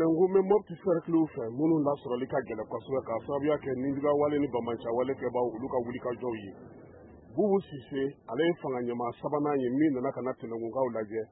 Tɛnɛnkun bɛ Mopti cercle fɛ minnu lasɔrɔli ka gɛlɛn kosɛbɛ k'a sababuya kɛ nijuguyawale ni banbaanciwale kɛbaaw olu ka wulikajɔw ye. Bubu Sise, ale ye fanga ɲɛmaa sabanan ye min nana ka na Tɛnɛnkunkaw lajɛ,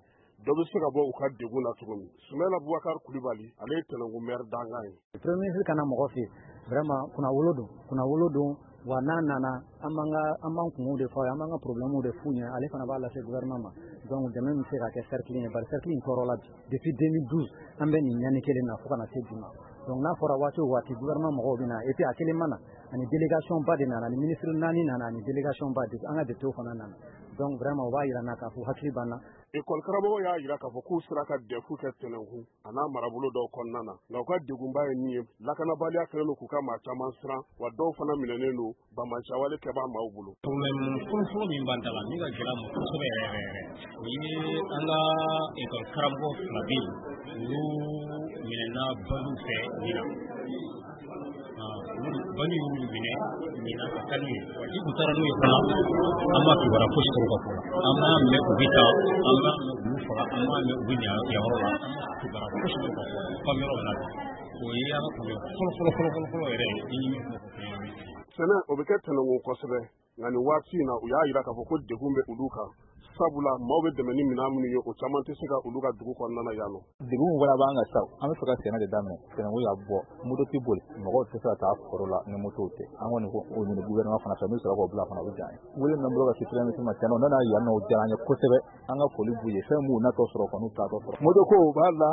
dɔ bɛ se ka bɔ u ka degun na cogo min. Sumala Bubakari Kulibali, ale ye Tɛnɛnkun maire dankan ye. Premier ministre kana mɔgɔ fɛ yen, vraiment kunnawolo don, kunnawolo don. Wa n'a nana, an b'an ka an b'an kungow de fɔ a ye, an b'an ka problème de f'u ɲɛ, ale fana b'a lase gouvernement ma. Donc dɛmɛ min bɛ se ka kɛ cercle ye, bari cercle in tɔɔrɔ la bi depuis 2012, an bɛ nin ɲani kelen na fo ka na se bi ma. Donc n'a fɔra waati o waati gouvernement mɔgɔw bɛ na, et puis a kelen ma na, ani délégation ba de nana, ani ministre naani nana, ani délégation ba de, an ka député fana nana. Donc vraiment o b'a yira n na k'a fɔ hakili b'an na. Ekɔli karamɔgɔ y'a jira k'a fɔ k'u sera ka DEF kɛ Tɛnɛnkun a n'a marabolo dɔw kɔnɔna na, nka u ka degunba ye min ye, lakanabaliya kɛlen don k'u ka maa caman siran, wa dɔw fana minɛnen don banbaanciwale kɛbaa maaw bolo. Problème fɔlɔfɔlɔ min b'an da la, min ka gɛlɛn ma kosɛbɛ yɛrɛ yɛrɛ yɛrɛ, o ye an ka ekɔli karamɔgɔ fila bɛ yen, olu minɛna bandiw fɛ ɲinan. Bandiw y'olu minɛ ɲinan ka taa n'u ye. Wa ni u taara n'u ye fana, an ma kibaruya fosi sɔrɔ u ka ko la. An m'a mɛn u bɛ taa, an m'a mɛn u y'u faga, an m'a mɛn u bɛ ɲa yɔrɔ la, an ma kibaruya fosi sɔrɔ u ka ko la. F'an bɛ yɔrɔ min na bi, o ye an ka problème fɔlɔ fɔlɔ fɔlɔ fɔlɔ fɔlɔ yɛrɛ ye. Ni min fɔ fɛn ye. Sɛnɛ, o bɛ kɛ Tɛnɛnkun kosɛbɛ, nka nin waati in na, u y'a jira k'a fɔ ko degun bɛ olu kan, sabula maaw bɛ dɛmɛ ni minɛn minnu ye, o caman tɛ se ka olu ka dugu kɔnɔna na yan nɔ. Degun fana b'an kan sa, an bɛ fɛ ka sɛnɛ de daminɛ. Sɛnɛko y'a bɔ, moto tɛ boli, mɔgɔw tɛ se ka taa foro la ni motow tɛ. An kɔni ko o ɲini gouvernement fana fɛ, n'u sera k'o bila fana, o bɛ diya an ye. Wele min b'an bolo ka se premier ministre ma, tiɲɛ na, u nana yan nɔ, o diyara an ye kosɛbɛ. An ka foli b'u ye, fɛn b'u natɔ sɔrɔ kɔni, u taatɔ sɔrɔ. Moto ko b'a la,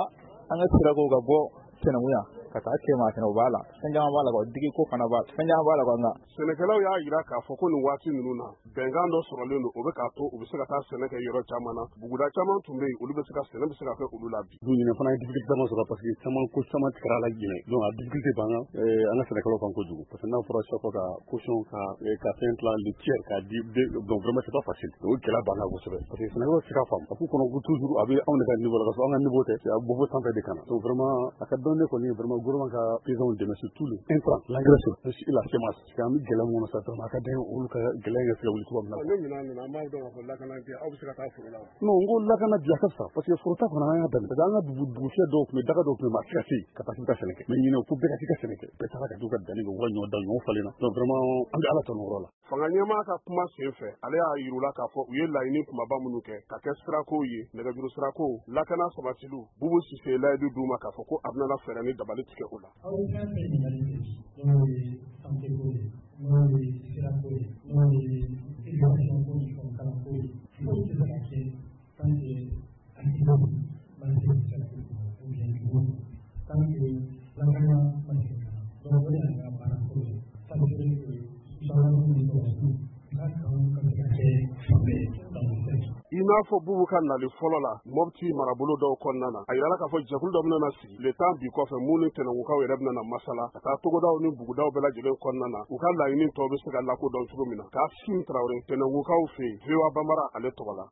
an ka sirako ka bɔ Tɛnɛnkun yan ka taa Kɛma fɛnɛ, o b'a la, fɛn caman b'a la, ka digi ko fana b'a la, fɛn caman b'a la nka. Sɛnɛkɛlaw y'a jira k'a fɔ ko nin waati ninnu na, bɛnkan dɔ sɔrɔlen don, o bɛ k'a to u bɛ se ka taa sɛnɛ kɛ yɔrɔ caman na. Buguda caman tun bɛ yen, olu bɛ se ka sɛnɛ bɛ se ka kɛ olu la bi. Du ɲinɛ fana ye difficulté caman sɔrɔ, parce que caman ko caman tigɛra la ɲinɛ. Donc a difficulté b'an kan, an ka sɛnɛkɛlaw kan kojugu, parce que n'a fɔra chaque fois ka caution ka fɛn tila le tiers k'a di, donc vraiment c'est pas facile. O gɛlɛya b'an kan kosɛbɛ, parce que sɛnɛkɛlaw tɛ se k'a faamu, a k'u kɔnɔ ko toujours a bɛ anw de ka niveau la, ka sɔrɔ an ka niveau tɛ, a bɔ fo sanfɛ de ka na. Donc vraiment a ka dɔn ne kɔni, vraiment gouvernement ka paysans dɛmɛ, surtout le intrant, l'engrais et la semence, parce que an bɛ gɛlɛya mun kɔnɔ sa, vraiment a ka d'an ye olu ka gɛlɛya in ka se ka wuli cogoya min na. Ne ɲinɛ nana, an b'a dɔn k'a fɔ lakana tɛ, aw bɛ se ka taa foro la wa? Non, n ko lakana bi a ka fisa, parce que foro ta kɔnɔ an y'a daminɛ, parce que an ka dugu dugufiyɛ dɔw tun bɛ, daga dɔw tun bɛ, maa tɛ se ka se yen ka taa k'i bɛ taa sɛnɛ kɛ. Mais ɲinɛ ko bɛɛ ka t'i ka sɛnɛ kɛ, bɛɛ taara ka t'u ka danni kɛ, u ka ɲɔ dan, ɲɔ falenna. Donc vraiment an bɛ Ala tanu o yɔrɔ la. Fanga ɲɛmaa ka kuma sen fɛ, ale y'a yir'u la k'a fɔ u ye laɲini kumaba minnu kɛ ka kɛ sirako ye, nɛgɛjuru sirako, lakana sabatiliw. Bubu Sise layidu d'u ma k'a fɔ ko a bɛna fɛɛrɛ ni dabali tigɛ o la. Aw ye fɛn fɛn ɲininkali kɛ bi, n'o ye santé ko ye, n'o ye sirako ye, n'o ye éducation ko ni fɛnw kalanko ye, foyi tɛ se ka kɛ tant que accident ma se cercle kɔnɔ ou bien dugu kɔnɔ, tant que lakana ma se ka na. Donc o de y'an ka baara fɔlɔ ye, s'assurer que gendarme ni sɔrɔdasiw ka kanw ka se ka kɛ fan bɛɛ dans le cercle. I n'a fɔ Bubu ka nali fɔlɔ la Mopti marabolo dɔw kɔnɔna na, a yirala k'a fɔ jɛkulu dɔ bɛna sigi le temps bi kɔfɛ, mun ni Tɛnɛnkunkaw yɛrɛ bɛna na masala ka taa togodaw ni bugudaw bɛɛ lajɛlen kɔnɔna na, u ka laɲini tɔw bɛ se ka lakodɔn cogo min na. K'a Sim Tarawele, Tɛnɛnkunkaw fɛ yen, VOA Bambara ale tɔgɔ la.